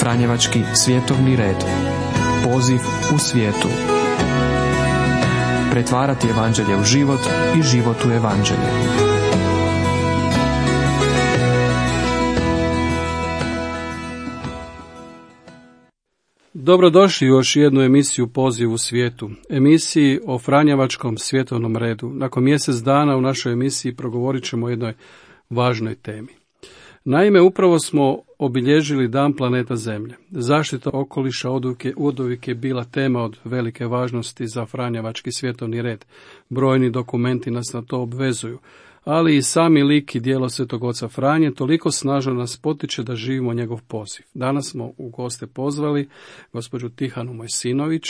Franjevački svjetovni red. Poziv u svijetu. Pretvarati evanđelje u život i život u evanđelje. Dobrodošli u još jednu emisiju Poziv u svijetu, emisiji o Franjevačkom svjetovnom redu. Nakon mjesec dana u našoj emisiji progovorit ćemo o jednoj važnoj temi. Naime, upravo smo obilježili Dan planeta Zemlje. Zaštita okoliša oduvijek je bila tema od velike važnosti za Franjevački svjetovni red. Brojni dokumenti nas na to obvezuju, ali i sami lik i djelo Svetog oca Franje toliko snažno nas potiče da živimo njegov poziv. Danas smo u goste pozvali gospođu Tihanu Mojsinović,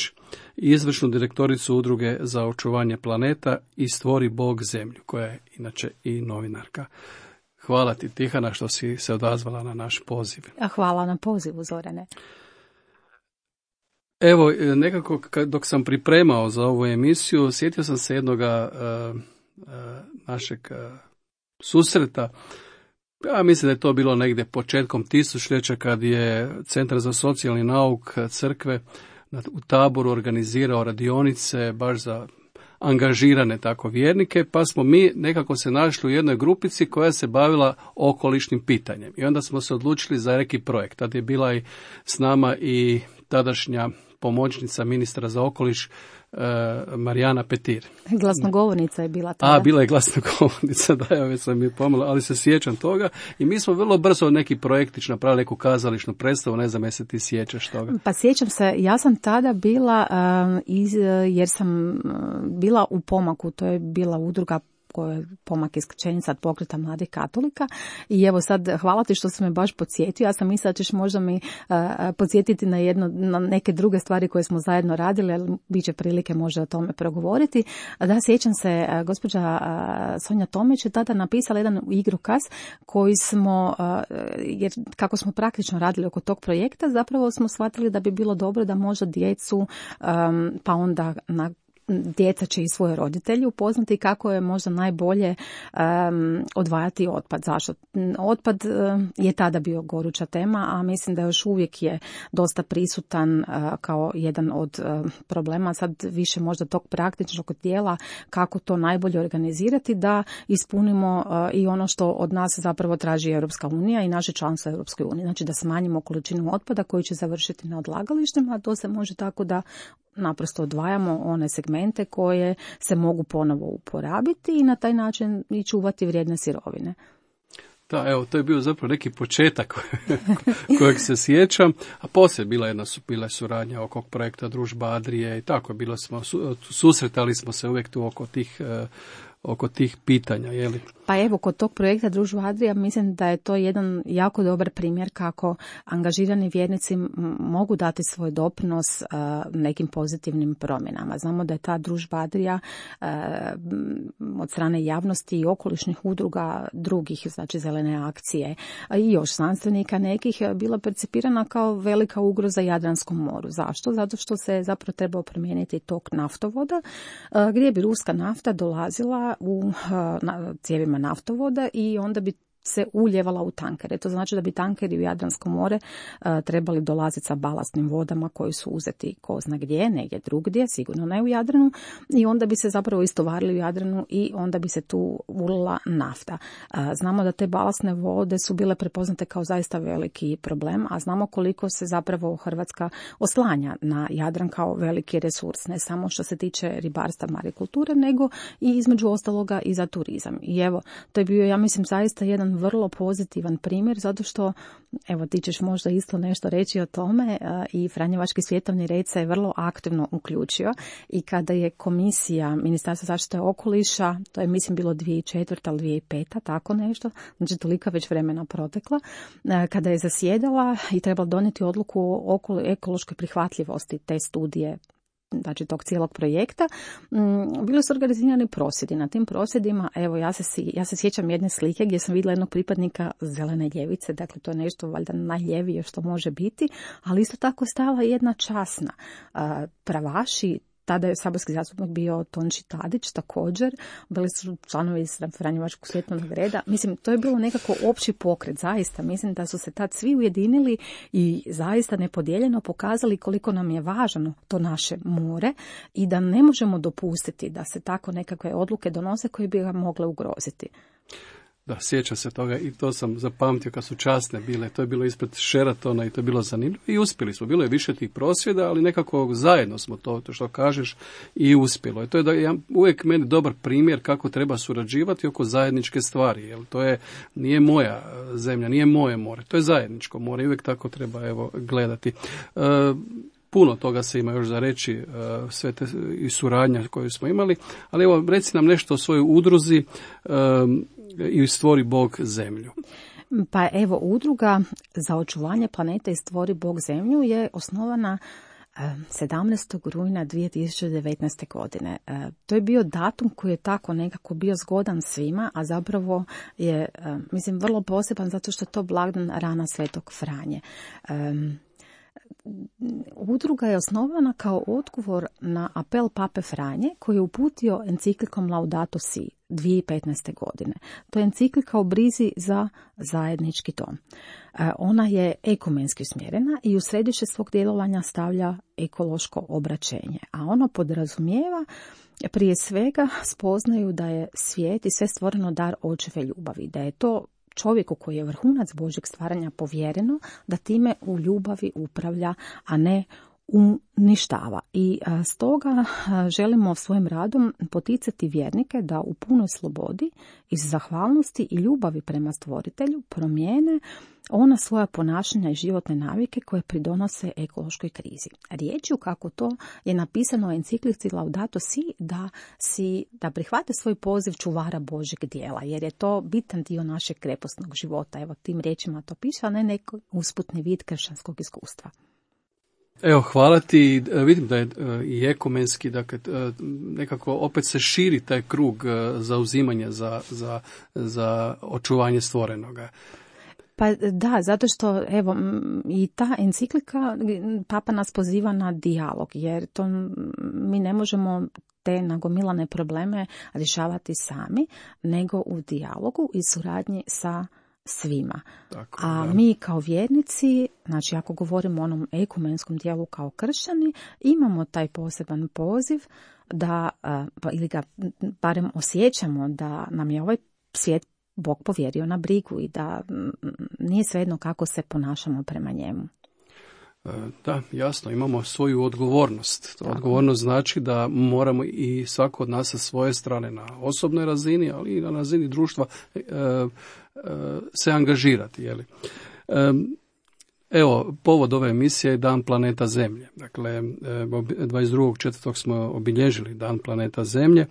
izvršnu direktoricu Udruge za očuvanje planeta i Stvori Bog zemlju, koja je inače i novinarka. Hvala ti, Tihana, što si se odazvala na naš poziv. Hvala na pozivu, Zorane. Evo, nekako dok sam pripremao za ovu emisiju, sjetio sam se jednoga našeg susreta. Ja mislim da je to bilo negdje početkom tisućljeća kad je Centar za socijalni nauk crkve u Taboru organizirao radionice baš za angažirane tako vjernike, pa smo mi nekako se našli u jednoj grupici koja se bavila okolišnim pitanjem. I onda smo se odlučili za neki projekt. Tad je bila i s nama i tadašnja pomoćnica ministra za okoliš Marijana Petir. Glasnogovornica je bila tada. Bila je glasnogovornica, da, ja već sam je pomalo, ali se sjećam toga. I mi smo vrlo brzo neki projektić napravili, neku kazališnu predstavu, ne znam jesi ti sjećaš toga. Pa sjećam se, ja sam tada bila, jer sam bila u Pomaku, to je bila udruga koja je Pomak isključenica od pokreta mladih katolika. I evo sad, hvala ti što si me baš podsjetio. Ja sam mislila da ćeš možda mi podsjetiti na neke druge stvari koje smo zajedno radili, ali bit će prilike možda o tome progovoriti. Da, sjećam se, gospođa Sonja Tomić je tada napisala jedan igrokaz koji smo, jer kako smo praktično radili oko tog projekta, zapravo smo shvatili da bi bilo dobro da možda djecu, pa onda djeca će i svoje roditelje upoznati kako je možda najbolje odvajati otpad. Zašto? Otpad je tada bio goruća tema, a mislim da još uvijek je dosta prisutan kao jedan od problema. Sad više možda tog praktičnog dijela kako to najbolje organizirati da ispunimo i ono što od nas zapravo traži Europska unija i naše članstvo Europskoj uniji. Znači da smanjimo količinu otpada koji će završiti na odlagalištima, a to se može tako da naprosto odvajamo one segmente koje se mogu ponovo uporabiti i na taj način i čuvati vrijedne sirovine. Da, evo, to je bio zapravo neki početak kojeg se sjećam, a poslije bila suradnja oko projekta Družba Adrije i tako, susretali smo se uvijek tu oko tih pitanja, je li? Pa evo, kod tog projekta Družba Adrija mislim da je to jedan jako dobar primjer kako angažirani vjernici mogu dati svoj doprinos nekim pozitivnim promjenama. Znamo da je ta Družba Adrija od strane javnosti i okolišnih udruga drugih, znači Zelene akcije i još znanstvenika nekih, bila percipirana kao velika ugroza Jadranskom moru. Zašto? Zato što se zapravo trebao promijeniti tok naftovoda gdje bi ruska nafta dolazila u cijevima naftovoda i onda bi se uljevala u tankere. To znači da bi tankeri u Jadransko more trebali dolaziti sa balastnim vodama koji su uzeti ko zna gdje, negdje drugdje, sigurno ne u Jadranu, i onda bi se zapravo istovarili u Jadranu i onda bi se tu ulila nafta. Znamo da te balastne vode su bile prepoznate kao zaista veliki problem, a znamo koliko se zapravo Hrvatska oslanja na Jadran kao veliki resurs, ne samo što se tiče ribarstva, marikulture, nego i između ostaloga i za turizam. I evo, to je bio, ja mislim, zaista jedan vrlo pozitivan primjer, zato što, evo, ti ćeš možda isto nešto reći o tome, i Franjevački svjetovni red se je vrlo aktivno uključio i kada je komisija Ministarstva zaštite okoliša, to je mislim bilo 2004. ili 2005. tako nešto, znači tolika već vremena protekla, kada je zasjedala i trebala donijeti odluku o ekološkoj prihvatljivosti te studije, znači tog cijelog projekta, bili su organizirani prosvjedi. Na tim prosvjedima, evo, ja se sjećam jedne slike gdje sam vidjela jednog pripadnika zelene ljevice, dakle to je nešto valjda najljevije što može biti, ali isto tako stala jedna časna pravaši tada je saborski zastupnik bio Tonči Tadić također, bili su članovi Franjevačkog svjetovnog reda. Mislim, to je bilo nekako opći pokret, zaista. Mislim da su se tad svi ujedinili i zaista nepodijeljeno pokazali koliko nam je važno to naše more i da ne možemo dopustiti da se tako nekakve odluke donose koje bi ga mogle ugroziti. Da, sjećam se toga i to sam zapamtio kad su časne bile. To je bilo ispred Sheratona i to je bilo zanimljivo i uspjeli smo. Bilo je više tih prosvjeda, ali nekako zajedno smo to što kažeš i uspjelo. I to je uvijek meni dobar primjer kako treba surađivati oko zajedničke stvari. Jer to nije moja zemlja, nije moje more. To je zajedničko more i uvijek tako treba gledati. Puno toga se ima još za reći, sve te i suradnja koju smo imali, ali evo reci nam nešto o svojoj udruzi i Stvori Bog zemlju. Pa evo, udruga za očuvanje planete i Stvori Bog zemlju je osnovana 17. rujna 2019. godine. To je bio datum koji je tako nekako bio zgodan svima, a zapravo je, mislim, vrlo poseban zato što je to blagdan rana Svetog Franje. Udruga je osnovana kao odgovor na apel Pape Franje koji je uputio enciklikom Laudato Si 2015. godine. To je enciklika o brizi za zajednički dom. Ona je ekumenski usmjerena i u središte svog djelovanja stavlja ekološko obraćenje, a ono podrazumijeva prije svega spoznaju da je svijet i sve stvoreno dar očeve ljubavi, da je to čovjeku koji je vrhunac Božjeg stvaranja povjereno da time u ljubavi upravlja, a ne uništava. I stoga želimo svojim radom poticati vjernike da u punoj slobodi, iz zahvalnosti i ljubavi prema stvoritelju promijene ona svoja ponašanja i životne navike koje pridonose ekološkoj krizi. Riječju kako to je napisano u enciklici Laudato Si da prihvate svoj poziv čuvara Božjeg djela, jer je to bitan dio našeg krepostnog života. Evo, tim riječima to piše, a ne neki usputni vid kršćanskog iskustva. Evo, hvala ti. Vidim da je i ekumenski, dakle, nekako opet se širi taj krug zauzimanja za očuvanje stvorenoga. Pa da, zato što evo i ta enciklika Papa nas poziva na dijalog, jer to mi ne možemo te nagomilane probleme rješavati sami, nego u dijalogu i suradnji sa svima. Tako, a mi kao vjernici, znači ako govorimo o onom ekumenskom dijelu kao kršćani, imamo taj poseban poziv da, ili ga barem osjećamo da nam je ovaj svijet Bog povjerio na brigu i da nije svejedno kako se ponašamo prema njemu. Da, jasno, imamo svoju odgovornost. Odgovornost znači da moramo i svako od nas sa svoje strane na osobnoj razini, ali i na razini društva se angažirati. Jeli? Evo, povod ove emisije je Dan planeta Zemlje. Dakle, 22.4. smo obilježili Dan planeta Zemlje.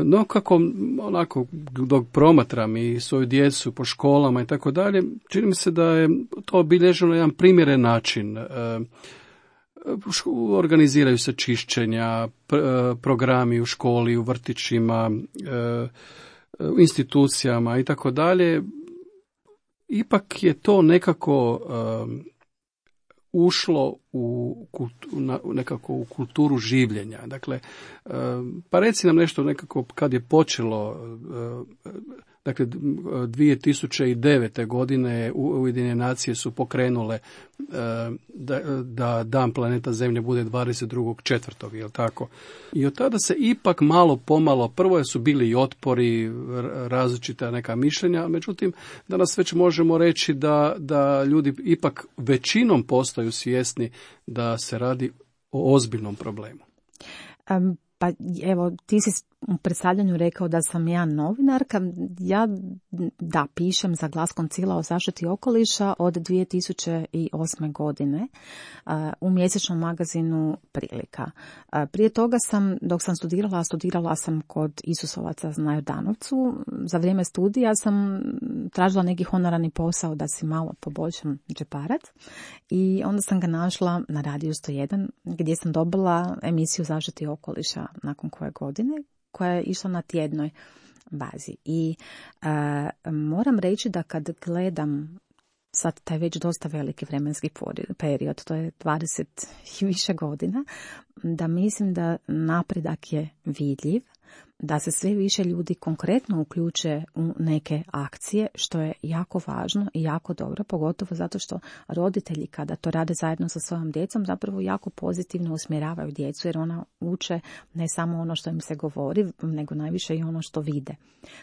No, kako onako dok promatram i svoju djecu po školama i tako dalje, čini mi se da je to obilježeno na jedan primjeren način. Organiziraju se čišćenja, programi u školi, u vrtićima, u institucijama i tako dalje. Ipak je to nekako ušlo nekako u kulturu življenja. Dakle, pa reci nam nešto nekako kad je počelo, dakle 2009. godine Ujedinjene nacije su pokrenule da Dan planeta Zemlje bude 22.4. Jel tako? I od tada se ipak malo pomalo, prvo su bili i otpori, različita neka mišljenja, međutim danas već možemo reći da ljudi ipak većinom postaju svjesni da se radi o ozbiljnom problemu. Pa evo, ti si u predstavljanju rekao da sam ja novinarka. Ja pišem za Glas Koncila o zaštiti okoliša od 2008. godine u mjesečnom magazinu Prilika. Prije toga dok sam studirala sam kod Isusovaca na Jordanovcu. Za vrijeme studija sam tražila neki honorarni posao da si malo poboljšam džeparac i onda sam ga našla na Radiju 101 gdje sam dobila emisiju zaštiti okoliša nakon koje godine, koja je išla na tjednoj bazi. I moram reći da kad gledam sad taj već dosta veliki vremenski period, to je 20 i više godina, da mislim da napredak je vidljiv, da se sve više ljudi konkretno uključe u neke akcije, što je jako važno i jako dobro, pogotovo zato što roditelji kada to rade zajedno sa svojom djecom zapravo jako pozitivno usmjeravaju djecu, jer ona uče ne samo ono što im se govori, nego najviše i ono što vide.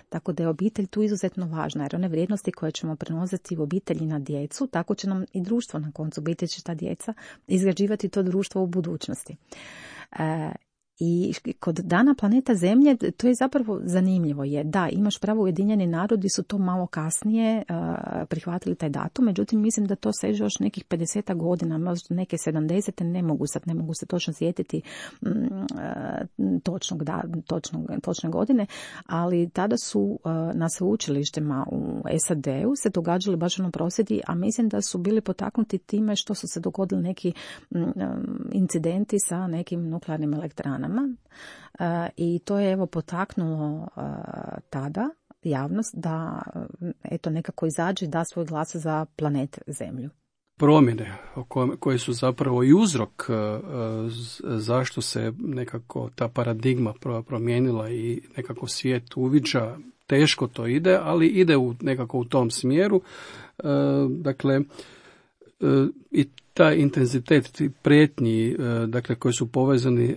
Tako da je obitelj tu izuzetno važna, jer one vrijednosti koje ćemo prenositi u obitelji na djecu, tako će nam i društvo na koncu biti, će ta djeca izgrađivati to društvo u budućnosti. I kod Dana planeta Zemlje to je zapravo zanimljivo. Da, imaš pravo, Ujedinjeni narodi su to malo kasnije prihvatili taj datum, međutim mislim da to seže još nekih 50 godina, možda neke 70, ne mogu se točno sjetiti točne godine, ali tada su na sveučilištima u SAD-u se događali baš prosvjedi, a mislim da su bili potaknuti time što su se dogodili neki incidenti sa nekim nuklearnim elektranama. I to je potaknulo tada javnost da nekako izađe i da svoj glas za planet Zemlju. Promjene koje su zapravo i uzrok zašto se nekako ta paradigma promijenila i nekako svijet uviđa, teško to ide, ali ide nekako u tom smjeru. Dakle, i taj intenzitet prijetnji, dakle, koji su povezani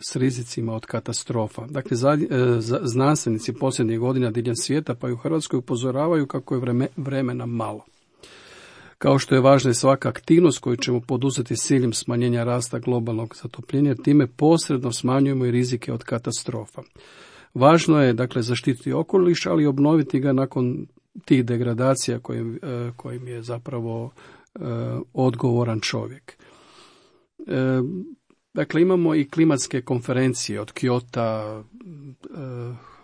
s rizicima od katastrofa. Dakle, znanstvenici posljednjih godina diljem svijeta, pa i u Hrvatskoj, upozoravaju kako je vremena malo. Kao što je važna i svaka aktivnost koju ćemo poduzeti s ciljem smanjenja rasta globalnog zatopljenja, time posredno smanjujemo i rizike od katastrofa. Važno je, dakle, zaštititi okoliš, ali obnoviti ga nakon tih degradacija kojim je zapravo odgovoran čovjek. Dakle, imamo i klimatske konferencije od Kyota,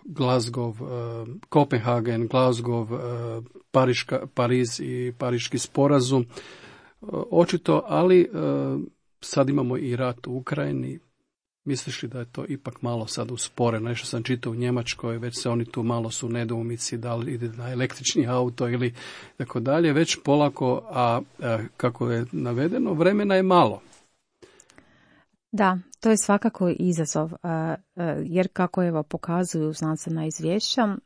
Glasgow, Kopenhagen, Glasgow, Pariz i Pariški sporazum. Očito, ali sad imamo i rat u Ukrajini. Misliš li da je to ipak malo sad usporeno? Nešto sam čitao u Njemačkoj, već se oni tu malo su nedoumici da li ide na električni auto ili tako dalje. Već polako, a kako je navedeno, vremena je malo. Da, to je svakako izazov, jer kako pokazuju znanstvena izvješća,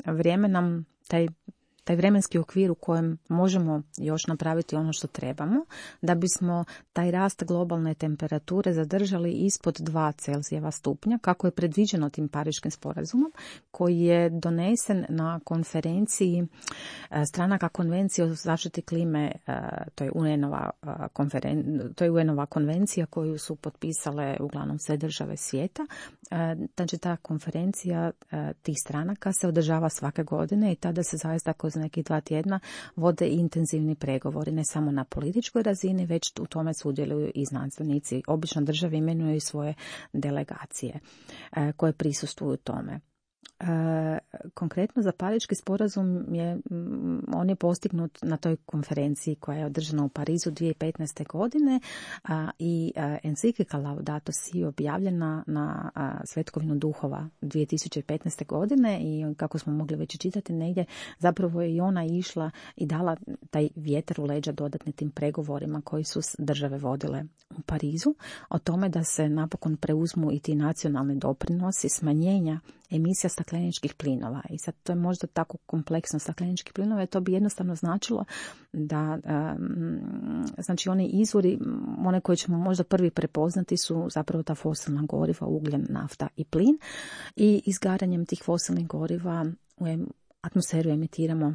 vrijeme nam taj vremenski okvir u kojem možemo još napraviti ono što trebamo, da bismo taj rast globalne temperature zadržali ispod 2 Celzijeva stupnja, kako je predviđeno tim Pariškim sporazumom, koji je donesen na konferenciji stranaka konvencije o zaštiti klime, to je UN-ova konvencija koju su potpisale uglavnom sve države svijeta. Znači, ta konferencija tih stranaka se održava svake godine i tada se zaista kroz nekih 2 tjedna vode intenzivni pregovori, ne samo na političkoj razini, već u tome sudjeluju i znanstvenici. Obično države imenuju i svoje delegacije koje prisustvuju tome. Konkretno za Pariški sporazum on je postignut na toj konferenciji koja je održana u Parizu 2015. godine i enciklika Laudato Si objavljena na Svetkovinu duhova 2015. godine i kako smo mogli već čitati negdje, zapravo je i ona išla i dala taj vjetar u leđa dodatni tim pregovorima koji su države vodile u Parizu, o tome da se napokon preuzmu i ti nacionalni doprinosi smanjenja emisija stakleničkih plinova. I sad to je možda tako kompleksno stakleničkih plinova, to bi jednostavno značilo da znači oni izvori, one koje ćemo možda prvi prepoznati su zapravo ta fosilna goriva, ugljen, nafta i plin, i izgaranjem tih fosilnih goriva u atmosferu emitiramo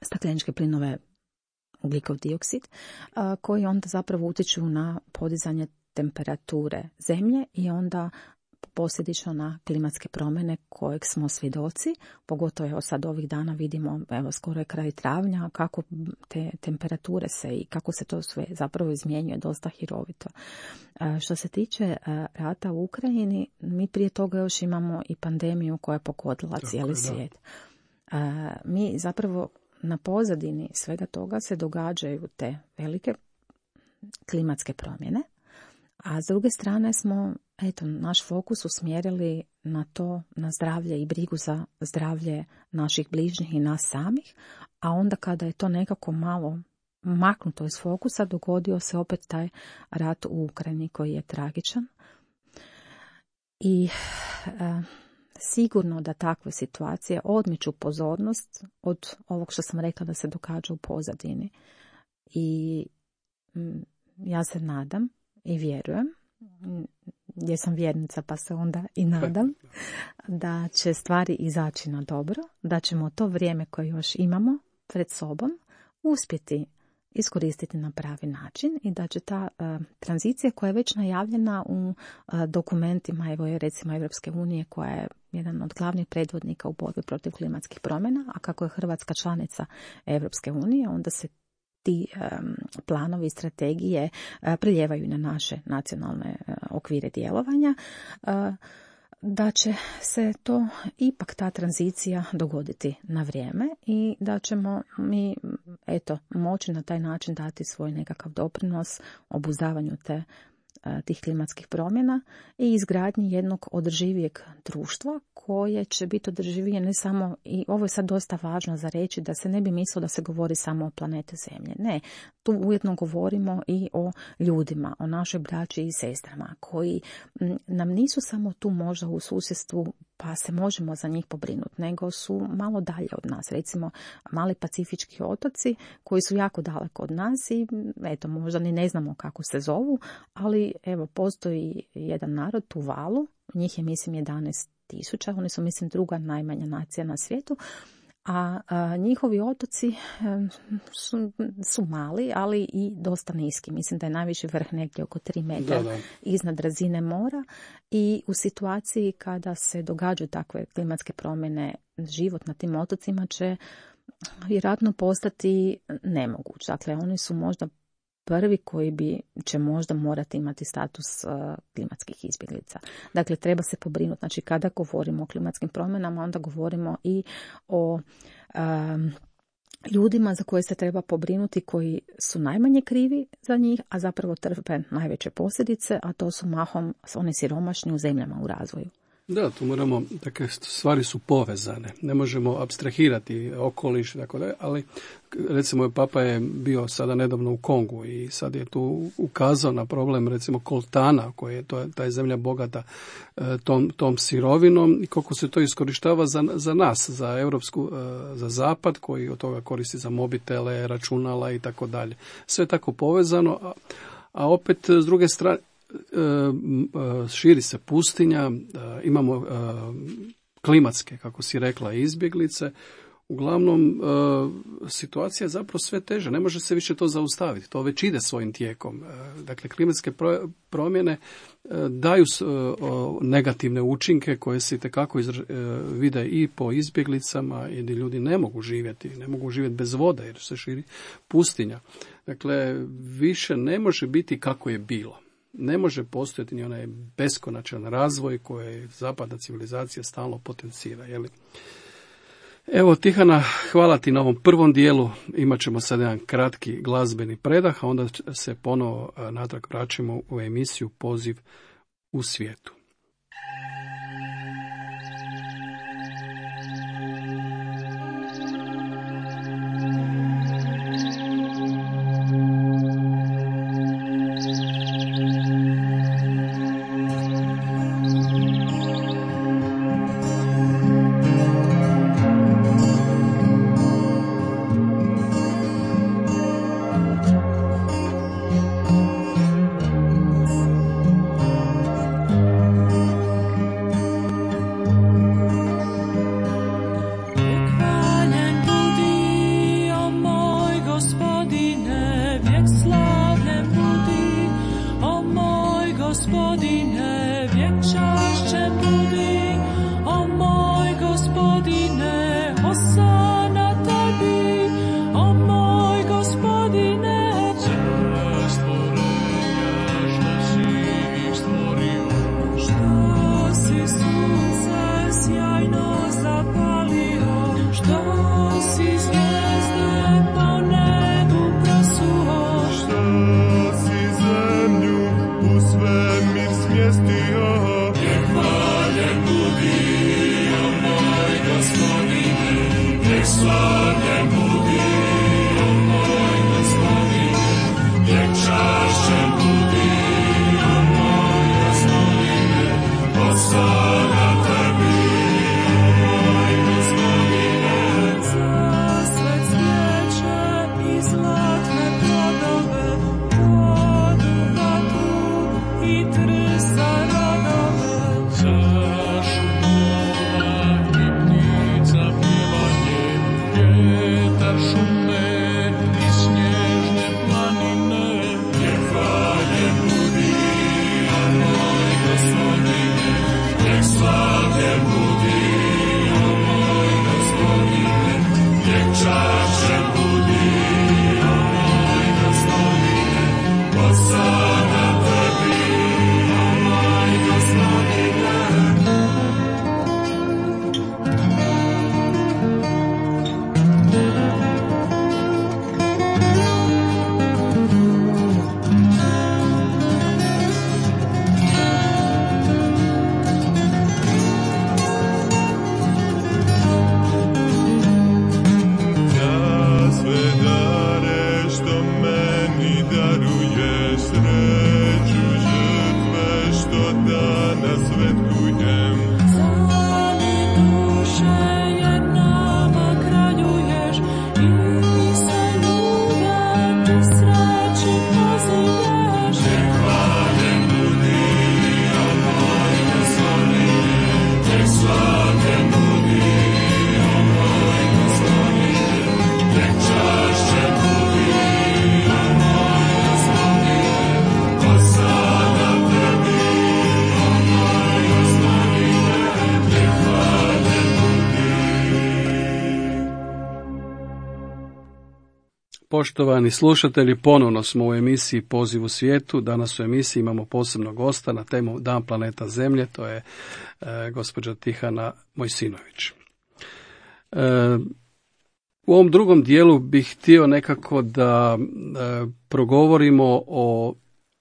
stakleničke plinove, ugljikov dioksid, koji onda zapravo utječu na podizanje temperature zemlje i onda posljedično na klimatske promjene kojeg smo svjedoci, pogotovo sad ovih dana vidimo, skoro je kraj travnja, kako te temperature se i kako se to sve zapravo izmjenjuje dosta hirovito. Što se tiče rata u Ukrajini, mi prije toga još imamo i pandemiju koja je pogodila cijeli svijet. Mi zapravo na pozadini svega toga se događaju te velike klimatske promjene, a s druge strane smo naš fokus usmjerili na to, na zdravlje i brigu za zdravlje naših bližnjih i nas samih, a onda kada je to nekako malo maknuto iz fokusa, dogodio se opet taj rat u Ukrajini koji je tragičan. I sigurno da takve situacije odmiču pozornost od ovog što sam rekla da se događa u pozadini. I ja se nadam i vjerujem, jer sam vjernica pa se onda i nadam, da će stvari izaći na dobro, da ćemo to vrijeme koje još imamo pred sobom uspjeti iskoristiti na pravi način i da će ta tranzicija koja je već najavljena u dokumentima, evo recimo Europske unije, koja je jedan od glavnih predvodnika u borbi protiv klimatskih promjena, a kako je Hrvatska članica Europske unije, onda se ti planovi i strategije priljevaju na naše nacionalne okvire djelovanja, da će se to ipak ta tranzicija dogoditi na vrijeme i da ćemo mi moći na taj način dati svoj nekakav doprinos obuzdavanju tih klimatskih promjena i izgradnji jednog održivijeg društva koje će biti održivije ne samo, i ovo je sad dosta važno za reći, da se ne bi mislilo da se govori samo o planeti Zemlje. Ne, tu ujedno govorimo i o ljudima, o našoj braći i sestrama koji nam nisu samo tu možda u susjedstvu pa se možemo za njih pobrinuti, nego su malo dalje od nas. Recimo mali pacifički otoci koji su jako daleko od nas i možda ni ne znamo kako se zovu, ali postoji jedan narod, Tuvalu, njih je mislim 11.000, oni su mislim druga najmanja nacija na svijetu, a njihovi otoci su mali, ali i dosta niski. Mislim da je najviši vrh negdje oko 3 metra iznad razine mora i u situaciji kada se događaju takve klimatske promjene, život na tim otocima će vjerojatno postati nemoguć. Dakle, oni su možda prvi koji će možda morati imati status klimatskih izbjeglica. Dakle, treba se pobrinuti. Znači, kada govorimo o klimatskim promjenama, onda govorimo i o ljudima za koje se treba pobrinuti, koji su najmanje krivi za njih, a zapravo trpe najveće posljedice, a to su mahom oni siromašni u zemljama u razvoju. Da, tu moramo, dakle, stvari su povezane. Ne možemo apstrahirati okoliš, dakle, ali recimo papa je bio sada nedavno u Kongu i sad je tu ukazao na problem recimo koltana, koji je ta je zemlja bogata tom sirovinom i koliko se to iskorištava za nas, za europsku, za zapad koji od toga koristi za mobitele, računala i tako dalje. Sve je tako povezano, a opet s druge strane širi se pustinja, imamo klimatske, kako si rekla, izbjeglice. Uglavnom, situacija je zapravo sve teža. Ne može se više to zaustaviti. To već ide svojim tijekom. Dakle, klimatske promjene daju negativne učinke koje se itekako vide i po izbjeglicama, gdje ljudi ne mogu živjeti bez vode jer se širi pustinja. Dakle, više ne može biti kako je bilo. Ne može postojati ni onaj beskonačan razvoj koji zapadna civilizacija stalno potencira. Jeli? Evo, Tihana, hvala ti na ovom prvom dijelu. Imat ćemo sad jedan kratki glazbeni predah, a onda se ponovo natrag vraćamo u emisiju Poziv u svijetu. Svemir smjestio Poštovani slušatelji, ponovno smo u emisiji Poziv u svijetu. Danas u emisiji imamo posebnog gosta na temu Dan planeta Zemlje, to je gospođa Tihana Mojsinović. U ovom drugom dijelu bih htio nekako da progovorimo o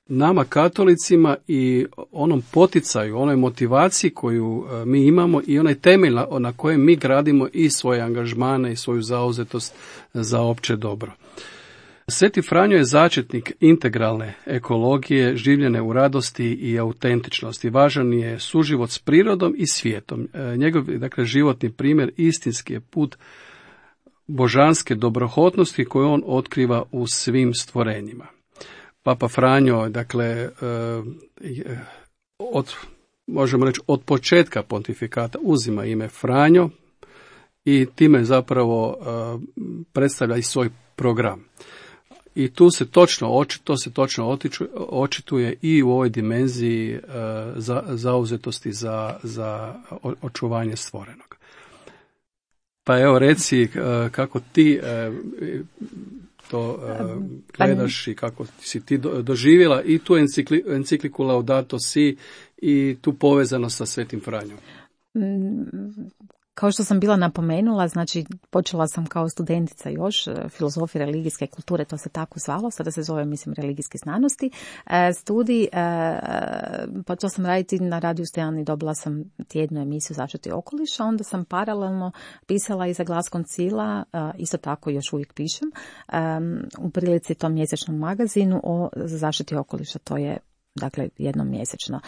nama katolicima i onom poticaju, onoj motivaciji koju mi imamo i onaj temelj na kojem mi gradimo i svoje angažmane i svoju zauzetost za opće dobro. Sveti Franjo je začetnik integralne ekologije, življene u radosti i autentičnosti. Važan je suživot s prirodom i svijetom. Njegov, dakle, životni primjer istinski je put božanske dobrohotnosti koju on otkriva u svim stvorenjima. Papa Franjo, dakle, možemo reći od početka pontifikata uzima ime Franjo i time zapravo predstavlja i svoj program. I tu se točno očituje i u ovoj dimenziji zauzetosti za očuvanje stvorenog. Pa evo reci kako ti to gledaš i kako si ti doživjela i tu encikliku Laudato Si i tu povezanost sa Svetim Franjom. Kao što sam bila napomenula, znači počela sam kao studentica još filozofije religijske kulture, to se tako zvalo, sada se zove, mislim, religijske znanosti. Studij, počela sam raditi na radiju Stojan i dobila sam tjednu emisiju zaštiti okoliša, onda sam paralelno pisala i za Glas koncila, isto tako još uvijek pišem, u prilici tom mjesečnom magazinu o zaštiti okoliša, to je dakle jednom mjesečno.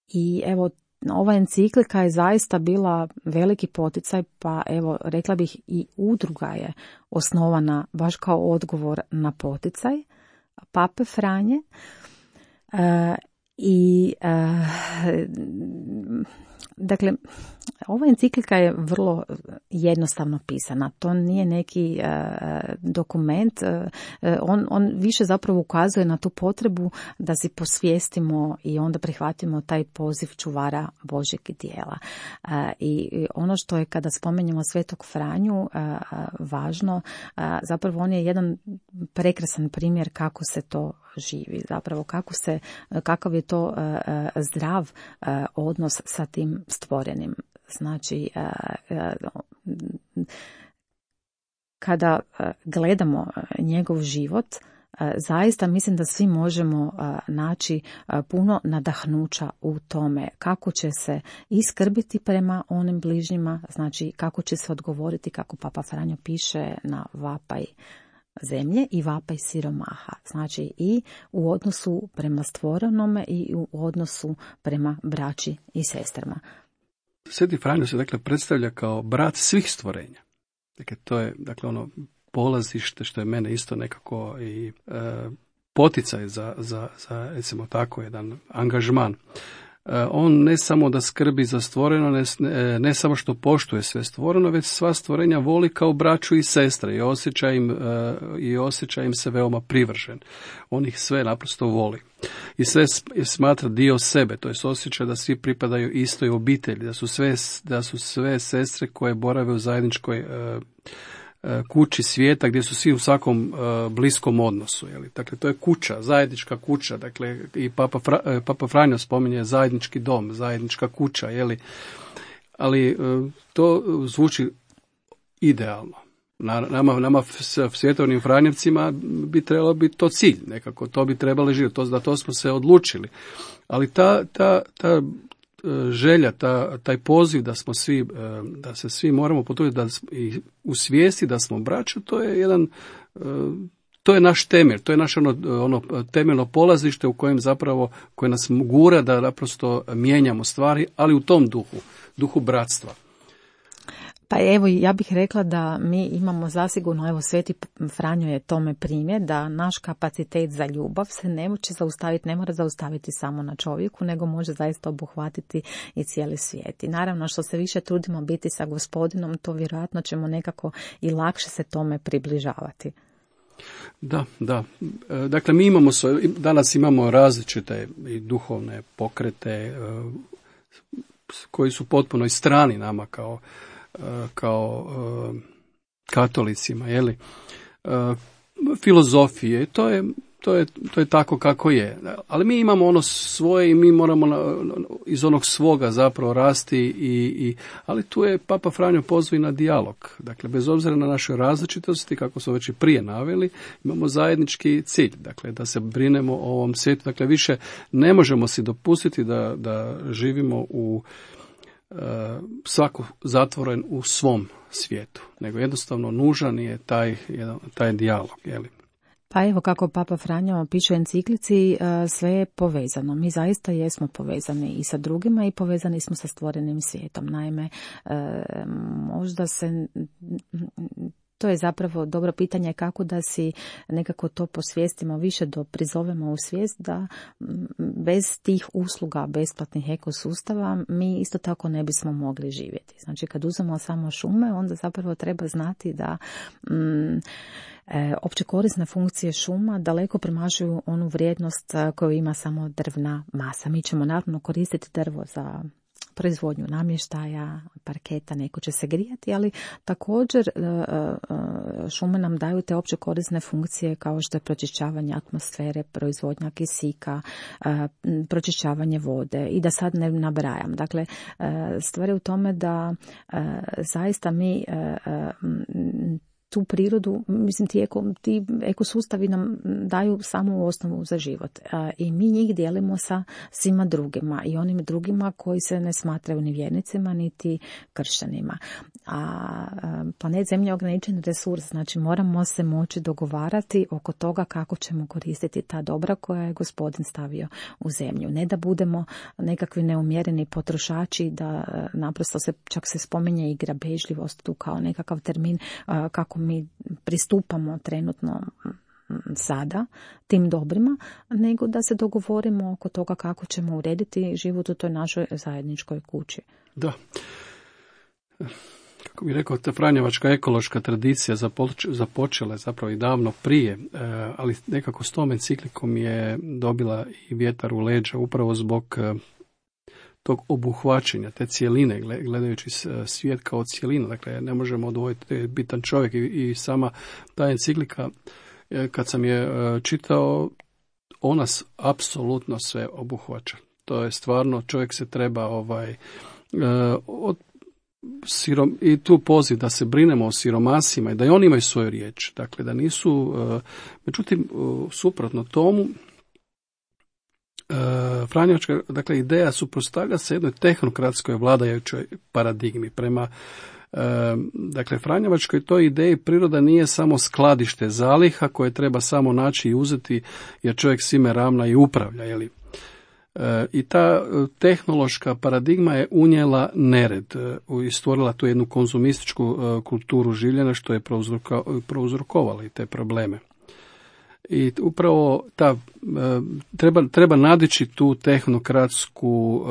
I evo, ova enciklika je zaista bila veliki poticaj, pa evo rekla bih i udruga je osnovana baš kao odgovor na poticaj Pape Franje. Dakle, ova enciklika je vrlo jednostavno pisana. To nije neki dokument. On više zapravo ukazuje na tu potrebu da si posvijestimo i onda prihvatimo taj poziv čuvara Božjeg dijela. I ono što je kada spomenjemo Svetog Franju važno, zapravo on je jedan prekrasan primjer kako se to živi, zapravo kakav je to zdrav odnos sa tim stvorenim. Znači, kada gledamo njegov život, zaista mislim da svi možemo naći puno nadahnuća u tome kako će se iskrbiti prema onim bližnjima, znači kako će se odgovoriti, kako Papa Franjo piše, na vapaj zemlje i vapaj siromaha. Znači i u odnosu prema stvorenome i u odnosu prema braći i sestrama. Sveti Franjo se dakle predstavlja kao brat svih stvorenja. Dakle, to je ono polazište što je mene isto nekako i poticaj za recimo tako jedan angažman. On ne samo da skrbi za stvoreno, ne samo što poštuje sve stvoreno, već sva stvorenja voli kao braću i sestre i osjeća im se veoma privržen. On ih sve naprosto voli. I sve smatra dio sebe, to jest osjeća da svi pripadaju istoj obitelji, da su sve sestre koje borave u zajedničkoj kući svijeta gdje su svi u svakom bliskom odnosu. Dakle, to je kuća, zajednička kuća. Dakle, i Papa Franjo spominje zajednički dom, zajednička kuća. Ali to zvuči idealno. Nama svjetovnim franjevcima bi trebalo biti to cilj. Nekako to bi trebalo živjeti. Da to smo se odlučili. Ali ta želja, taj poziv da se svi moramo potruditi i u svijesti da smo braća, to je naš temelj, to je naše ono temeljno polazište u kojem zapravo, koje nas gura da naprosto mijenjamo stvari, ali u tom duhu bratstva. Pa evo, ja bih rekla da mi imamo zasigurno, evo Sveti Franjo je tome primjer, da naš kapacitet za ljubav se ne mora zaustaviti samo na čovjeku, nego može zaista obuhvatiti i cijeli svijet. I naravno, što se više trudimo biti sa Gospodinom, to vjerojatno ćemo nekako i lakše se tome približavati. Da. Dakle, mi danas imamo različite i duhovne pokrete koji su potpuno i strani nama kao katolicima, filozofije, to je tako kako je. Ali mi imamo ono svoje i mi moramo iz onog svoga zapravo rasti, ali tu je Papa Franjo pozvao na dijalog. Dakle, bez obzira na naše različitosti, kako smo već i prije naveli, imamo zajednički cilj, dakle, da se brinemo o ovom svijetu. Dakle, više ne možemo si dopustiti da živimo svako zatvoren u svom svijetu, nego jednostavno nužan je taj dijalog. Pa evo kako Papa Franjo piše u enciklici, sve je povezano. Mi zaista jesmo povezani i sa drugima i povezani smo sa stvorenim svijetom. Naime, možda se... To je zapravo dobro pitanje kako da si nekako to posvijestimo više, prizovemo u svijest da bez tih usluga besplatnih ekosustava mi isto tako ne bismo mogli živjeti. Znači kad uzmemo samo šume, onda zapravo treba znati da opće korisne funkcije šuma daleko premašuju onu vrijednost koju ima samo drvna masa. Mi ćemo naravno koristiti drvo za proizvodnju namještaja, parketa, neko će se grijati, ali također šume nam daju te opće korisne funkcije kao što je pročišćavanje atmosfere, proizvodnja kisika, pročišćavanje vode i da sad ne nabrajam. Dakle, stvar je u tome da zaista mi tu prirodu, mislim ti ekosustavi nam daju samu osnovu za život i mi njih dijelimo sa svima drugima i onim drugima koji se ne smatraju ni vjernicima niti kršćanima. A planet Zemlja je ograničen resurs, znači moramo se moći dogovarati oko toga kako ćemo koristiti ta dobra koja je Gospodin stavio u zemlju. Ne da budemo nekakvi neumjereni potrošači, da naprosto čak se spominje i grabežljivost tu kao nekakav termin kako mi pristupamo trenutno sada tim dobrima, nego da se dogovorimo oko toga kako ćemo urediti život u toj našoj zajedničkoj kući. Da. Kako bih rekao, ta franjevačka ekološka tradicija započela je zapravo i davno prije, ali nekako s tom enciklikom je dobila i vjetar u leđa upravo zbog tog obuhvaćanja, te cjeline, gledajući svijet kao cjelinu. Dakle, ne možemo odvojiti bitan čovjek i sama ta enciklika, kad sam je čitao, ona apsolutno sve obuhvaća. To je stvarno, čovjek se treba i tu poziv da se brinemo o siromasima i da i oni imaju svoju riječ. Dakle, da nisu, međutim, suprotno tomu, Franjevačka, dakle, ideja suprotstavlja se jednoj tehnokratskoj vladajućoj paradigmi. Prema dakle, Franjevačkoj toj ideji priroda nije samo skladište zaliha koje treba samo naći i uzeti jer čovjek svime ravna i upravlja. Jeli? I ta tehnološka paradigma je unijela nered i stvorila tu jednu konzumističku kulturu življenja što je prouzrokovalo i te probleme. I upravo treba nadići tu tehnokratsku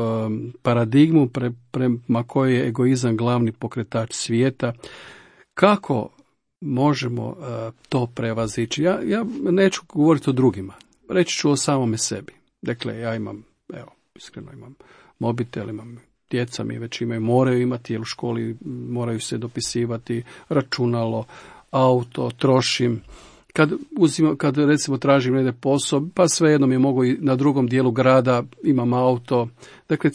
paradigmu prema kojoj je egoizam glavni pokretač svijeta. Kako možemo to prevazići? Ja neću govoriti o drugima, reći ću o samome sebi. Dakle, ja imam, iskreno imam mobitel, imam djeca mi već moraju imati, jer u školi moraju se dopisivati, računalo, auto, trošim. Kad recimo tražim negdje posao, pa svejedno mi mogu i na drugom dijelu grada, imam auto. Dakle,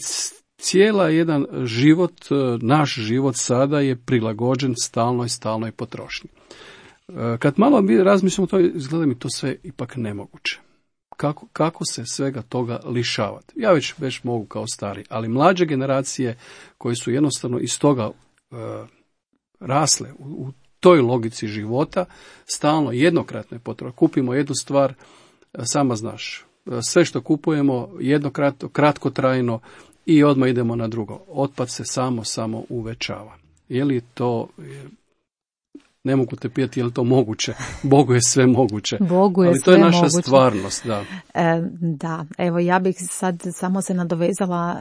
cijela jedan život, naš život sada je prilagođen stalnoj potrošnji. Kad malo razmišljamo to, izgleda mi to sve ipak nemoguće. Kako se svega toga lišavati? Ja već mogu kao stari, ali mlađe generacije koje su jednostavno iz toga rasle u toj logici života, stalno jednokratne potrošnje. Kupimo jednu stvar, sama znaš, sve što kupujemo jednokratno, kratkotrajno i odmah idemo na drugo. Otpad se samo uvećava. Je li to, ne mogu te pitati je li to moguće? Bogu je sve moguće. Bogu je ali to je naša stvarnost. Da. Da, evo ja bih sad samo se nadovezala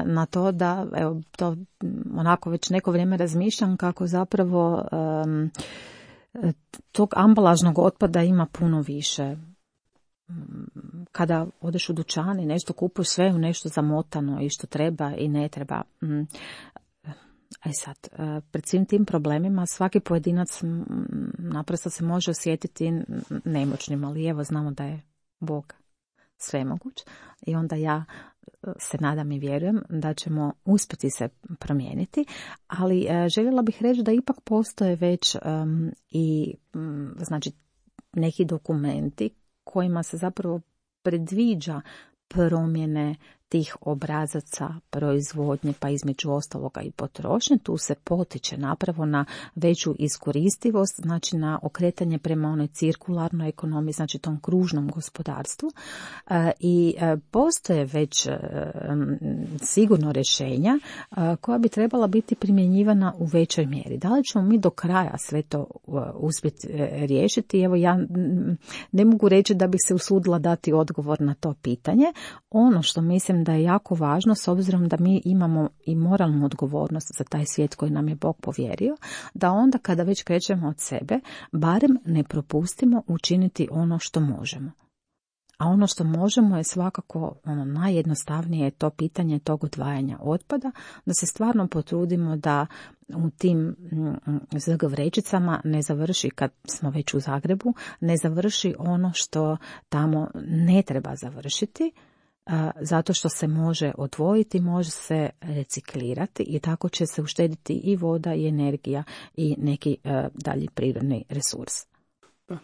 na to da, evo to onako već neko vrijeme razmišljam kako zapravo tog ambalažnog otpada ima puno više. Kada odeš u dućan i nešto kupuješ, sve u nešto zamotano i što treba i ne treba. Sad, pred svim tim problemima svaki pojedinac naprosto se može osjetiti nemoćnim, ali evo znamo da je Bog svemoguć i onda ja se nadam i vjerujem da ćemo uspjeti se promijeniti, ali željela bih reći da ipak postoje već znači neki dokumenti kojima se zapravo predviđa promjene tih obrazaca proizvodnje, pa između ostaloga i potrošnje. Tu se potiče napravo na veću iskoristivost, znači na okretanje prema onoj cirkularnoj ekonomiji, znači tom kružnom gospodarstvu. I postoje već sigurno rješenja koja bi trebala biti primjenjivana u većoj mjeri. Da li ćemo mi do kraja sve to uspjeti riješiti? Evo ja ne mogu reći da bih se usudila dati odgovor na to pitanje. Ono što mislim da je jako važno, s obzirom da mi imamo i moralnu odgovornost za taj svijet koji nam je Bog povjerio, da onda kada već krećemo od sebe, barem ne propustimo učiniti ono što možemo. A ono što možemo je svakako najjednostavnije je to pitanje tog odvajanja otpada, da se stvarno potrudimo da u tim ZG vrećicama ne završi, kad smo već u Zagrebu, ne završi ono što tamo ne treba završiti, zato što se može odvojiti, može se reciklirati i tako će se uštediti i voda i energija i neki dalji prirodni resurs.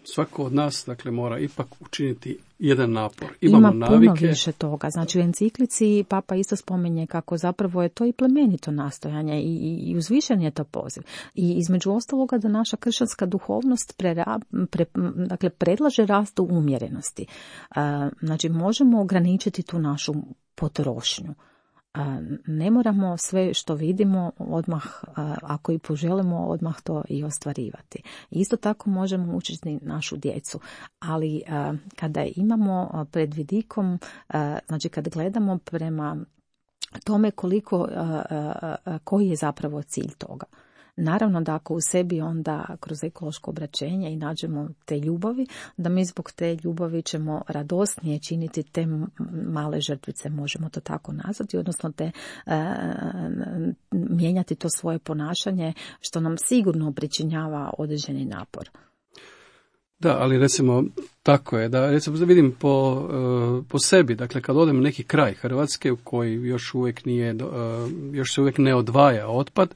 Svako od nas dakle mora ipak učiniti jedan napor. Ima puno više toga. Znači u enciklici Papa isto spominje kako zapravo je to i plemenito nastojanje i uzvišen je to poziv. I između ostaloga da naša kršćanska duhovnost dakle predlaže rast u umjerenosti. Znači možemo ograničiti tu našu potrošnju. Ne moramo sve što vidimo odmah, ako i poželimo, odmah to i ostvarivati. Isto tako možemo učiti našu djecu, ali kada imamo pred vidikom, znači kad gledamo prema tome koji je zapravo cilj toga. Naravno da ako u sebi onda kroz ekološko obraćenje i nađemo te ljubavi, da mi zbog te ljubavi ćemo radosnije činiti te male žrtvice, možemo to tako nazvati, odnosno mijenjati to svoje ponašanje što nam sigurno pričinjava određeni napor. Da, ali recimo tako je, da recimo vidim po sebi, dakle kad odem u neki kraj Hrvatske u koji još uvijek se uvijek ne odvaja otpad,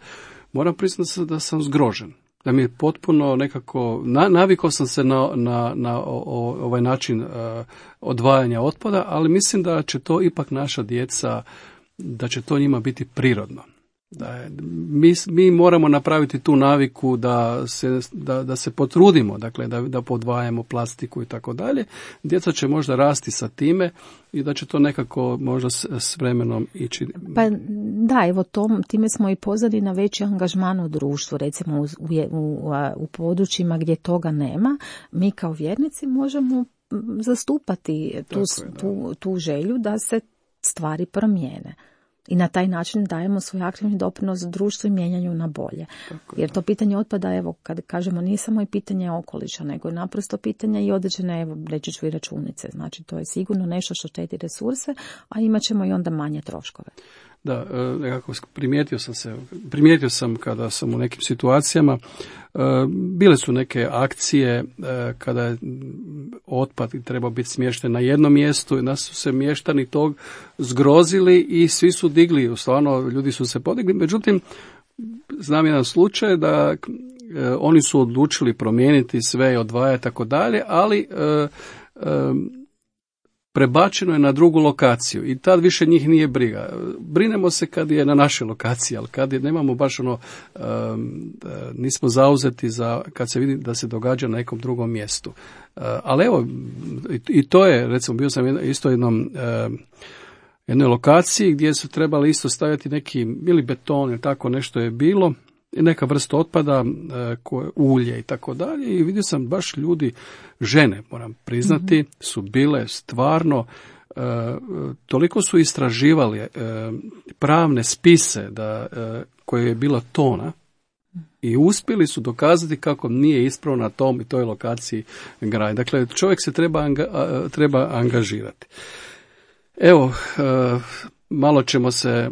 moram priznati da sam zgrožen. Da mi je potpuno nekako, navikao sam se na ovaj način odvajanja otpada, ali mislim da će to ipak naša djeca, da će to njima biti prirodno. Mi moramo napraviti tu naviku da se potrudimo, dakle da podvajamo plastiku i tako dalje. Djeca će možda rasti sa time i da će to nekako možda s vremenom ići. Pa da, evo time smo i pozvali na veći angažman u društvu, recimo u područjima gdje toga nema. Mi kao vjernici možemo zastupati tu želju da se stvari promijene. I na taj način dajemo svoj aktivni doprinos društvu i mijenjanju na bolje. Jer to pitanje otpada, evo, kad kažemo, nije samo i pitanje okoliša, nego je naprosto pitanje i određene, evo, reći ću i računice. Znači, to je sigurno nešto što štedi resurse, a imat ćemo i onda manje troškove. Da, nekako primijetio sam kada sam u nekim situacijama, bile su neke akcije kada je otpad trebao biti smješten na jednom mjestu i nas su se mještani tog zgrozili i svi su digli, stvarno ljudi su se podigli, međutim znam jedan slučaj da oni su odlučili promijeniti sve i odvajati tako dalje, ali prebačeno je na drugu lokaciju i tad više njih nije briga. Brinemo se kad je na našoj lokaciji, ali kad nemamo baš nismo zauzeti kad se vidi da se događa na nekom drugom mjestu. Ali evo, i to je, recimo, bio sam isto jednoj lokaciji gdje su trebali isto staviti neki, ili beton ili tako nešto je bilo, neka vrsta otpada, ulje i tako dalje, i vidio sam baš ljudi, žene, moram priznati, su bile stvarno, toliko su istraživali pravne spise koje je bila tona i uspjeli su dokazati kako nije ispravno na tom i toj lokaciji graditi. Dakle, čovjek se treba angažirati. Evo, malo ćemo se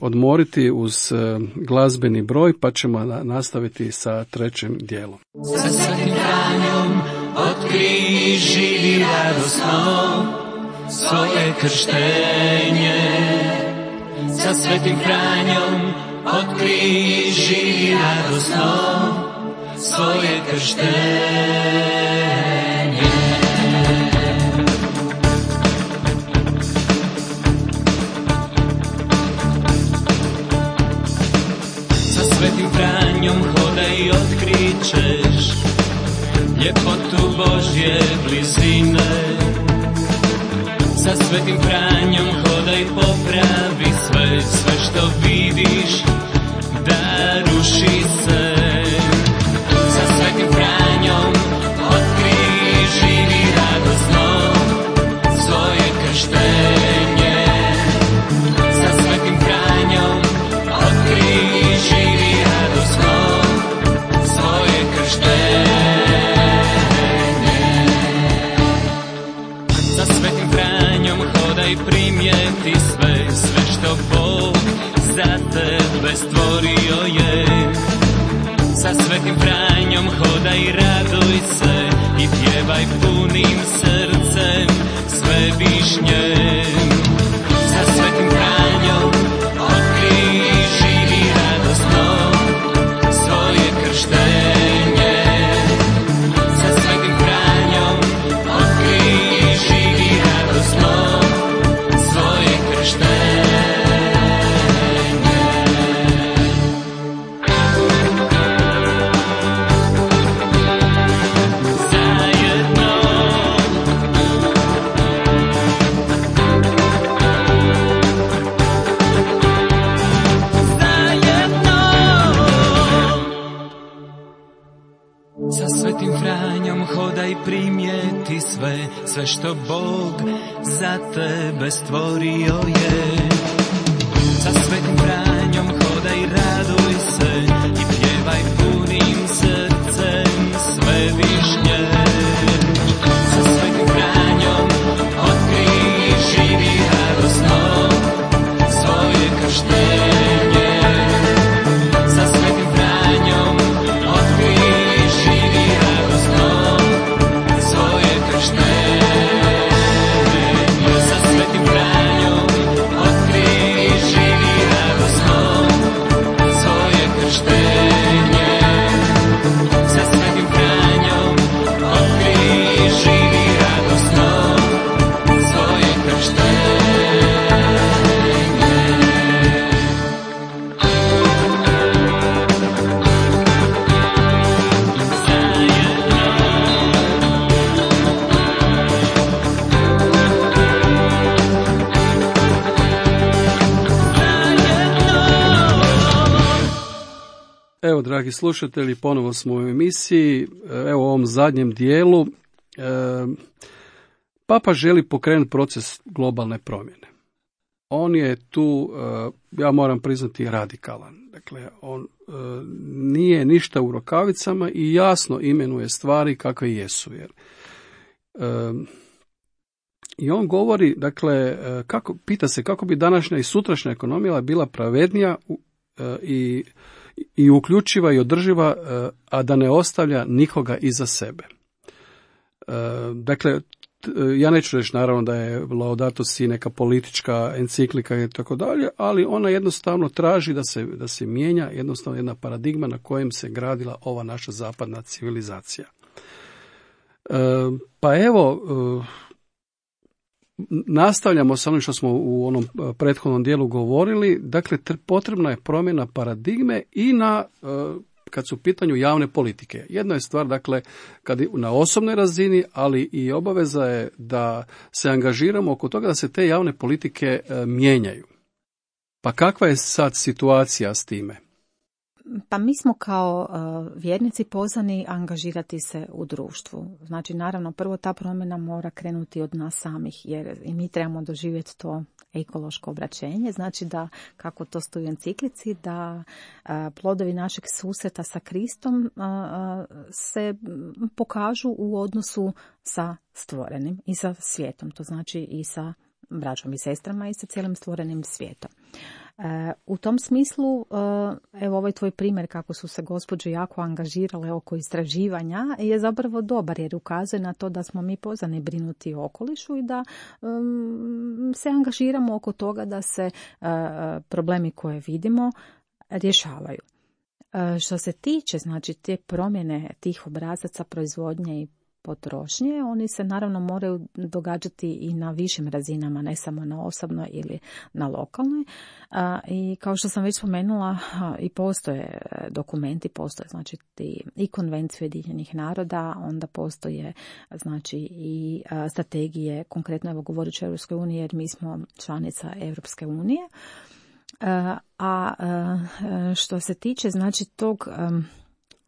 odmoriti uz glazbeni broj, pa ćemo nastaviti sa trećim dijelom. Sa Svetim Franjom otkrij živi radosno svoje krštenje. Sa Svetim Franjom otkrij živi radosno svoje krštenje. Svetim Franjom hodaj i otkrićeš ljepotu Božje blizine. Sa Svetim Franjom hodaj, popravi sve što vidiš da ruši se. Sa Svetim Franjom otkrij živi radosno svoje krštenje. Sa Svetim Franjom otkrij živi radosno svoje krštenje. Sa Svetim Franjom hodaj, primijeti sve što Bog za tebe stvorio je. Sa Svetim Franjom hodaj, raduj se i pjevaj punim srcem sve višnje. Sa Svetim Franjom otkrij živi radosno svoje krštenje. Sa Svetim Franjom otkrij živi radosno svoje krštenje. Hodaj, primijeti sve što Bog za tebe stvorio je. Sa Svetim Franjom hodaj, raduj se i pjevaj punim srcem sve višnje. Sa Svetim Franjom otkrij živi radosno svoje krštenje. Sa Svetim Franjom otkrij živi radosno svoje krštenje. Sa Svetim Franjom otkrij živi radosno dragi slušatelji, ponovo smo u emisiji. Evo u ovom zadnjem dijelu Papa želi pokrenuti proces globalne promjene. On je tu, ja moram priznati, radikalan. Dakle, on nije ništa u rukavicama i jasno imenuje stvari kakve jesu. I on govori, dakle, pita se kako bi današnja i sutrašnja ekonomija bila pravednija i uključiva i održiva, a da ne ostavlja nikoga iza sebe. Dakle, ja neću reći naravno da je Laudato Si neka politička enciklika i tako dalje, ali ona jednostavno traži da se mijenja jednostavno jedna paradigma na kojem se gradila ova naša zapadna civilizacija. Pa evo, nastavljamo sa onim što smo u onom prethodnom dijelu govorili. Dakle, potrebna je promjena paradigme i kad su u pitanju javne politike. Jedna je stvar, dakle, kad na osobnoj razini, ali i obaveza je da se angažiramo oko toga da se te javne politike mijenjaju. Pa kakva je sad situacija s time? Pa mi smo kao vjernici pozvani angažirati se u društvu. Znači, naravno, prvo ta promjena mora krenuti od nas samih, jer i mi trebamo doživjeti to ekološko obraćenje. Znači da, kako to stoji u enciklici, da plodovi našeg susreta sa Kristom se pokažu u odnosu sa stvorenim i sa svijetom. To znači i sa braćom i sestrama i sa cijelim stvorenim svijetom. U tom smislu, evo ovaj tvoj primjer kako su se gospođe jako angažirale oko istraživanja je zapravo dobar jer ukazuje na to da smo mi pozvani brinuti o okolišu i da se angažiramo oko toga da se problemi koje vidimo rješavaju. Što se tiče, znači, te promjene tih obrazaca proizvodnje i potrošnje, oni se naravno moraju događati i na višim razinama, ne samo na osobnoj ili na lokalnoj. I kao što sam već spomenula, i postoje dokumenti, postoje znači i konvencije Ujedinjenih naroda, onda postoje znači i strategije, konkretno evo govorit ću o Europskoj uniji jer mi smo članica Europske unije. A što se tiče znači tog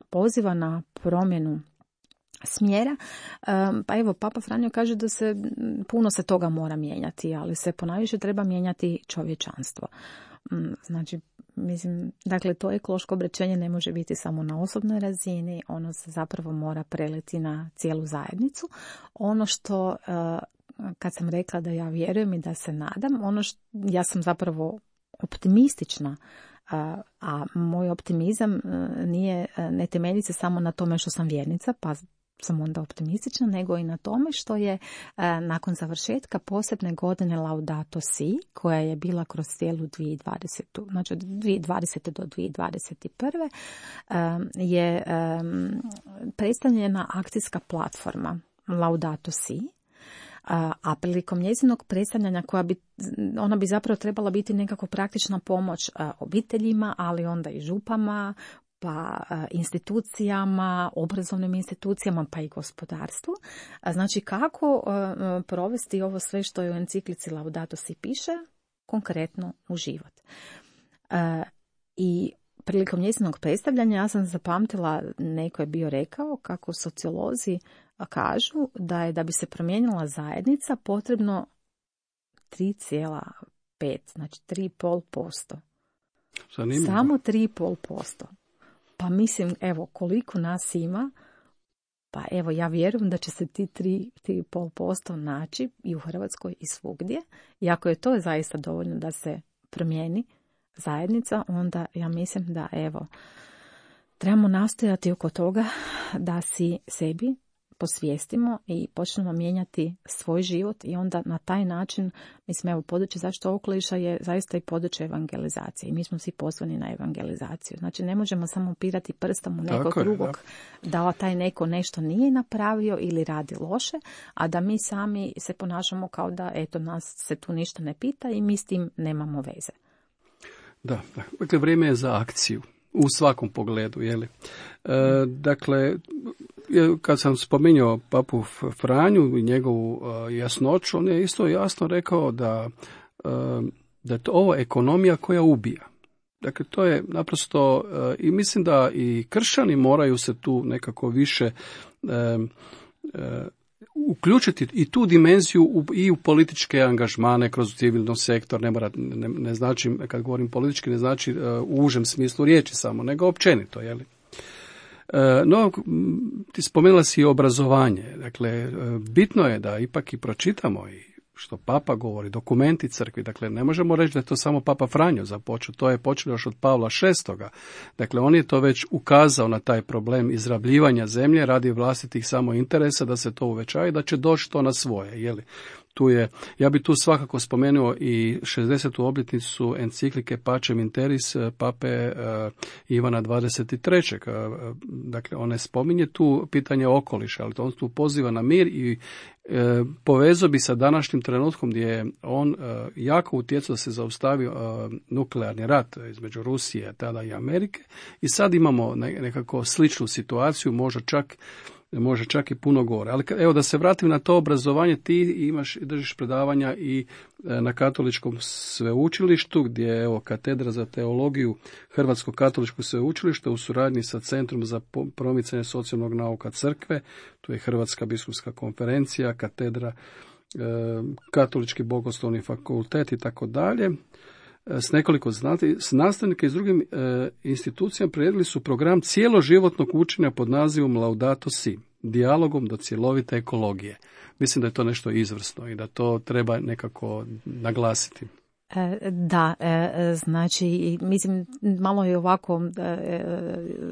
poziva na promjenu smjera, pa evo Papa Franjo kaže da puno se toga mora mijenjati, ali se ponajviše treba mijenjati čovječanstvo. Znači, mislim, dakle, to ekološko obraćenje ne može biti samo na osobnoj razini, ono se zapravo mora preliti na cijelu zajednicu. Ono što, kad sam rekla da ja vjerujem i da se nadam, ja sam zapravo optimistična, a moj optimizam ne temelji se samo na tome što sam vjernica, pa sam onda optimistična, nego i na tome što je nakon završetka posebne godine Laudato Si, koja je bila kroz cijelu 2020. Znači od 2020. do 2021. Je predstavljena akcijska platforma Laudato Si, a prilikom njezinog predstavljanja ona bi zapravo trebala biti nekako praktična pomoć obiteljima, ali onda i župama, pa institucijama, obrazovnim institucijama, pa i gospodarstvu. Znači kako provesti ovo sve što je u enciklici Laudato Si piše konkretno u život. I prilikom njezinog predstavljanja ja sam zapamtila, neko je bio rekao kako sociolozi kažu da bi se promijenila zajednica potrebno 3,5, znači 3,5%. Zanimljivo. Samo 3,5%. Pa mislim, evo, koliko nas ima, pa evo, ja vjerujem da će se ti 3,5% naći i u Hrvatskoj i svugdje. I ako je to zaista dovoljno da se promijeni zajednica, onda ja mislim da, evo, trebamo nastojati oko toga da si sebi posvijestimo i počnemo mijenjati svoj život i onda na taj način, mislim, evo, područje zaštite okoliša je zaista i područje evangelizacije i mi smo svi pozvani na evangelizaciju. Znači, ne možemo samo upirati prstom u nekog drugog da taj neko nešto nije napravio ili radi loše, a da mi sami se ponašamo kao da, eto, nas se tu ništa ne pita i mi s tim nemamo veze. Da, dakle, vrijeme je za akciju. U svakom pogledu, jeli? Dakle, kad sam spominjao papu Franju i njegovu jasnoću, on je isto jasno rekao da je to ovo ekonomija koja ubija. Dakle, to je naprosto, i mislim da i kršćani moraju se tu nekako više uključiti i tu dimenziju i u političke angažmane kroz civilni sektor. Ne znači, kad govorim politički, ne znači u užem smislu riječi samo, nego općenito, jeli? No, ti spomenula si i obrazovanje. Dakle, bitno je da ipak i pročitamo i što Papa govori, dokumenti crkvi. Dakle, ne možemo reći da je to samo Papa Franjo započeo, to je počelo još od Pavla VI. Dakle, on je to već ukazao na taj problem izrabljivanja zemlje radi vlastitih samo interesa, da se to uvećava i da će doći to na svoje, jeli? Ja bi tu svakako spomenuo i 60. obljetnicu enciklike Pacem in Terris pape Ivana 23. Dakle, on ne spominje tu pitanje okoliša, ali on tu poziva na mir i povezao bi sa današnjim trenutkom gdje je on jako utjecao da se zaustavi nuklearni rat između Rusije tada i Amerike i sad imamo nekako sličnu situaciju, može čak i puno gore. Ali evo da se vratim na to obrazovanje, ti držiš predavanja i na Katoličkom sveučilištu, gdje je evo katedra za teologiju Hrvatskog katoličkog sveučilišta u suradnji sa Centrom za promicanje socijalnog nauka crkve, tu je Hrvatska biskupska konferencija, katedra Katolički bogoslovni fakultet i tako dalje. S nekoliko nastavnika i s drugim institucijama priredili su program cijeloživotnog učenja pod nazivom Laudato Si, dijalogom do cjelovite ekologije. Mislim da je to nešto izvrsno i da to treba nekako naglasiti. Da, znači, mislim, malo je ovako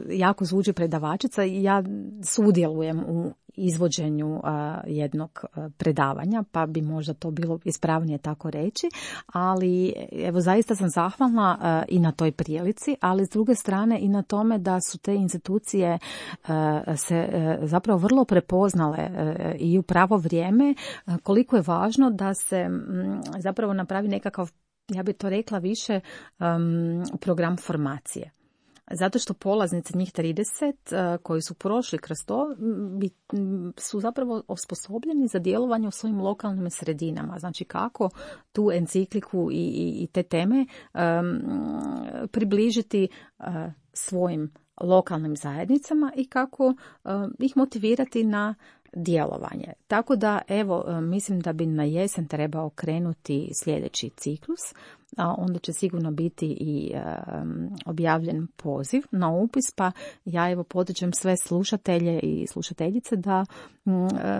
jako zvuči predavačica i ja sudjelujem u izvođenju jednog predavanja, pa bi možda to bilo ispravnije tako reći, ali evo zaista sam zahvalna i na toj prilici, ali s druge strane i na tome da su te institucije se zapravo vrlo prepoznale i u pravo vrijeme koliko je važno da se zapravo napravi nekakav, ja bih to rekla više, program formacije. Zato što polaznici, njih 30 koji su prošli kroz to, su zapravo osposobljeni za djelovanje u svojim lokalnim sredinama. Znači kako tu encikliku i te teme približiti svojim lokalnim zajednicama i kako ih motivirati na djelovanje. Tako da, evo, mislim da bi na jesen trebao krenuti sljedeći ciklus, a onda će sigurno biti i objavljen poziv na upis, pa ja evo potičem sve slušatelje i slušateljice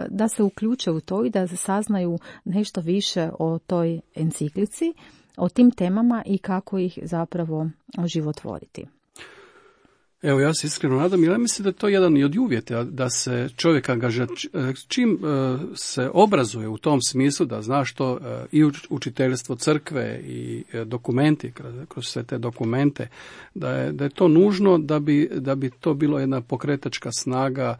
da se uključe u to i da saznaju nešto više o toj enciklici, o tim temama i kako ih zapravo oživotvoriti. Evo, ja se iskreno nadam, jer ja mislim da je to jedan i od uvjeta da se čovjek angažira. Čim se obrazuje u tom smislu da zna što i učiteljstvo crkve i dokumenti, kroz sve te dokumente, da je to nužno da bi to bilo jedna pokretačka snaga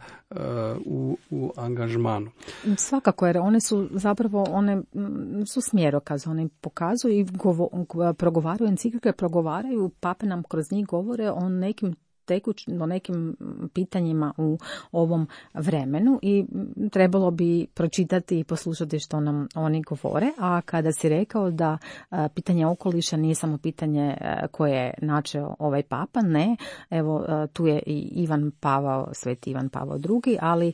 u angažmanu. Svakako, jer one su zapravo, one su smjerokaz, one pokazuju i progovaraju, enciklike progovaraju, pape nam kroz njih govore o nekim pitanjima u ovom vremenu i trebalo bi pročitati i poslušati što nam oni govore. A kada si rekao da pitanje okoliša nije samo pitanje koje je načeo ovaj papa, ne, evo tu je i Sveti Ivan Pavao II, ali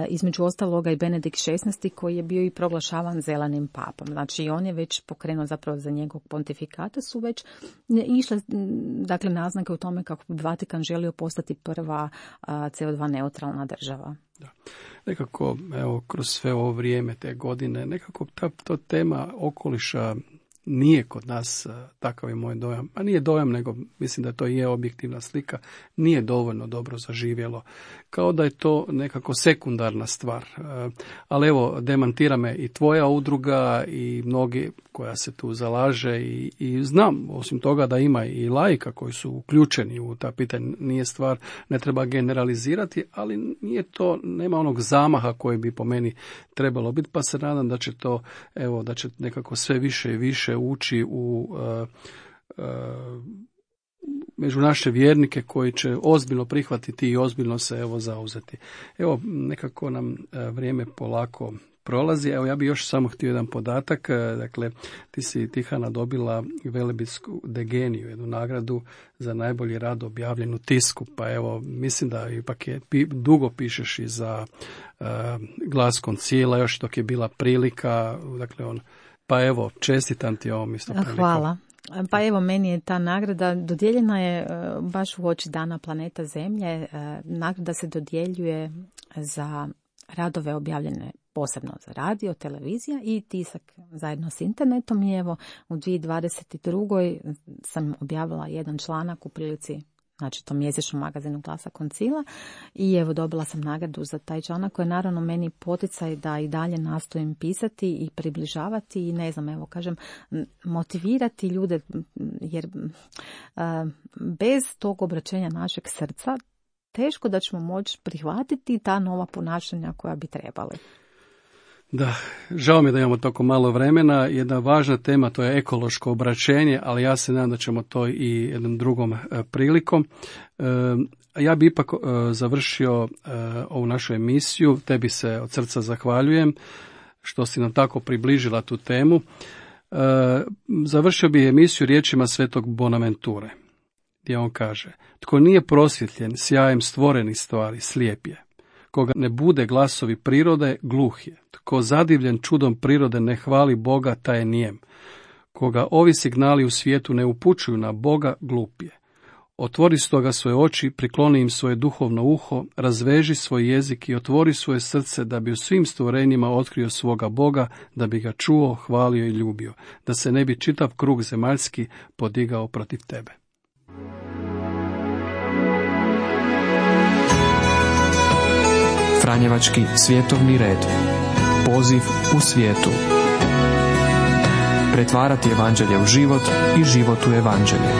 između ostaloga i Benedikt XVI koji je bio i proglašavan zelenim papom. Znači on je već pokrenuo zapravo za njegovog pontifikata su već išle dakle naznake u tome kako bi Vatikan želio postati prva CO2 neutralna država. Da. Nekako, evo, kroz sve ovo vrijeme, te godine, nekako ta tema okoliša nije kod nas, takav je moj dojam, a nije dojam, nego mislim da to je objektivna slika, nije dovoljno dobro zaživjelo, kao da je to nekako sekundarna stvar. Ali evo, demantira me i tvoja udruga i mnogi koja se tu zalaže i znam, osim toga da ima i laika koji su uključeni u ta pitanja, nije stvar, ne treba generalizirati, ali nije to, nema onog zamaha koji bi po meni trebalo biti, pa se nadam da će to, evo, da će nekako sve više i više ući među naše vjernike koji će ozbiljno prihvatiti i ozbiljno se evo zauzeti. Evo, nekako nam vrijeme polako prolazi. Evo, ja bih još samo htio jedan podatak. Dakle, ti si, Tihana, dobila Velebitsku degeniju, jednu nagradu za najbolji rad objavljen u tisku. Pa evo, mislim da ipak dugo pišeš i za Glas Koncila, još dok je bila prilika. Dakle, pa evo, čestitam ti ovom isto prilikom. Hvala. Pa evo, meni je ta nagrada dodijeljena je baš u oči Dana planeta Zemlje. Nagrada se dodjeljuje za radove objavljene posebno za radio, televizija i tisak zajedno s internetom. I evo, u 2022. sam objavila jedan članak u prilici, znači to mjesečnom magazinu Glasa Koncila, i evo dobila sam nagradu za taj članak koji je naravno meni poticaj da i dalje nastojim pisati i približavati i ne znam, evo kažem, motivirati ljude, jer bez tog obraćenja našeg srca teško da ćemo moći prihvatiti ta nova ponašanja koja bi trebali. Da, žao mi je da imamo toliko malo vremena. Jedna važna tema, to je ekološko obraćenje, ali ja se nadam da ćemo to i jednom drugom prilikom. Ja bi ipak završio ovu našu emisiju. Tebi se od srca zahvaljujem što si nam tako približila tu temu. Završio bi emisiju riječima svetog Bonaventure, gdje on kaže: tko nije prosvjetljen sjajem stvorenih stvari, slijep je. Koga ne bude glasovi prirode, gluh je. Tko zadivljen čudom prirode ne hvali Boga, taj je nijem. Koga ovi signali u svijetu ne upućuju na Boga, glup je. Otvori stoga svoje oči, prikloni im svoje duhovno uho, razveži svoj jezik i otvori svoje srce da bi u svim stvorenjima otkrio svoga Boga, da bi ga čuo, hvalio i ljubio, da se ne bi čitav krug zemaljski podigao protiv tebe. Franjevački svjetovni red. Poziv u svijetu. Pretvarati evanđelje u život i život u evanđelje.